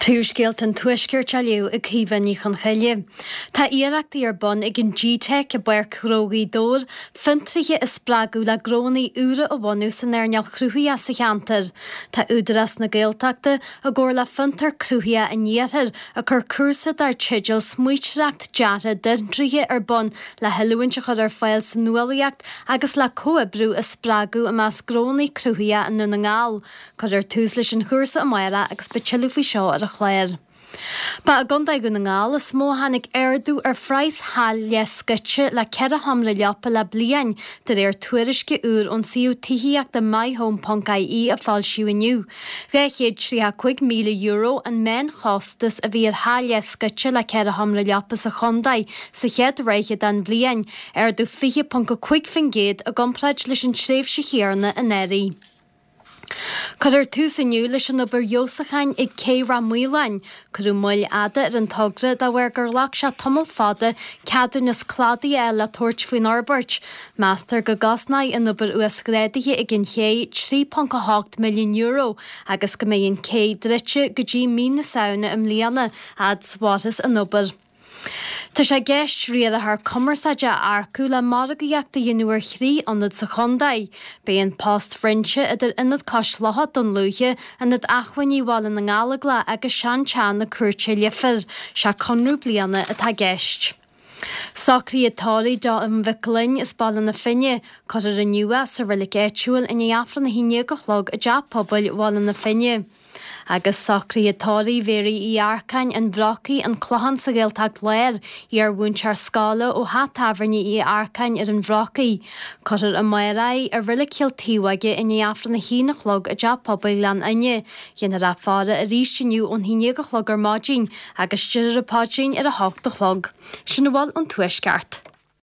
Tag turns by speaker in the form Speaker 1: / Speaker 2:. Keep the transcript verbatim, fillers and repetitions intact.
Speaker 1: Príomhscéalta an Tuaiscirt á léamh ag Caoimhe Ní Chonchoille. Tá iarrachtaí ar bun ag an GTeic i bPáirc Ghnó Ghaoth Dobhair fiontraithe a spreagadh le gnónna úra a bhunú san earnáil cruthaitheach sa cheantar. Tá Údarás na Gaeltachta i gcomhar le Fiontar Cruthaitheach an Iarthair ag cur cúrsa dar teideal Smaointeoireacht Deartha d'Fhiontraithe ar bun le hoiliúint a chur ar fáil sa nuálaíocht agus le comhoibriú a spreagadh i measc gnónna cruthaitheacha i nDún na nGall. Cuirfear tús leis an chúrsa amárach agus beidh tuilleadh faoi seo ar an chlár. Ba i gContae Dhún na nGall is mó a tháinig ardú ar phraghas theach leathscoite le ceithre sheomra leapa le bliain, de réir tuairisce úr ón suíomh tithíochta myhome.ie a foilsíodh inniu. Dhá chéad tríocha cúig míle euro an meánchostas a bhí ar theach leathscoite le ceithre sheomra leapa sa chontae sa chéad ráithe den bhliain, ardú fiche ponc a cúig faoin gcéad i gcomparáid leis an tréimhse chéanna anuraidh. Cuirfear tús inniu leis an obair fheabhsúcháin ag Cé Rath Maoláin. Cuireadh moill fhada ar an togra de bharr gur ghlac sé tamall fada ceadúnas cladaigh a fháil le tabhairt faoin fhorbairt. Meastar go gcosnóidh an obair uasghrádaithe ag an ché trí ponc a hocht milliún euro agus go mbeidh an cé druidte go dtí mí na Samhna i mbliana, fhad is a mhairfeas an obair. Tá sé i gceist riarthóir cumarsáide a earcú le margaíocht a dhéanamh ar thrí ionad sa chontae. Beidh an post roinnte idir Ionad Cois Locha Dún Lúiche, Ionad Acmhainní Bhaile na nGallóglach agus Seanteach na Cúirte Leifear. Sé conradh bliana atá i gceist. Socruithe tórraimh do Mhic Gloinn as Baile na Finne, cuirfear inniu é sa reilig áitiúil i ndiaidh Aifreann a haon déag a chlog i dTeach Pobail Bhaile na Finne. Agus socruithe tórraimh Mhéaraí Uí Earcáin, An Bhrocaigh, An Clochán sa Ghaeltacht Láir, iar-mhúinteoir scoile ó theach tábhairne Uí Earcáin ar an Bhrocaigh. Cuirfear amárach í i Reilig Chill Taobhóige i ndiaidh Aifreann a haon a chlog i dTeach Pobail Ghleann Fhinne. Déanfar í a fhaire arís inniu ón haon déag a chlog ar maidin agus déarfar an paidrín ar a hocht a chlog. Sin a bhfuil ón Tuaisceart.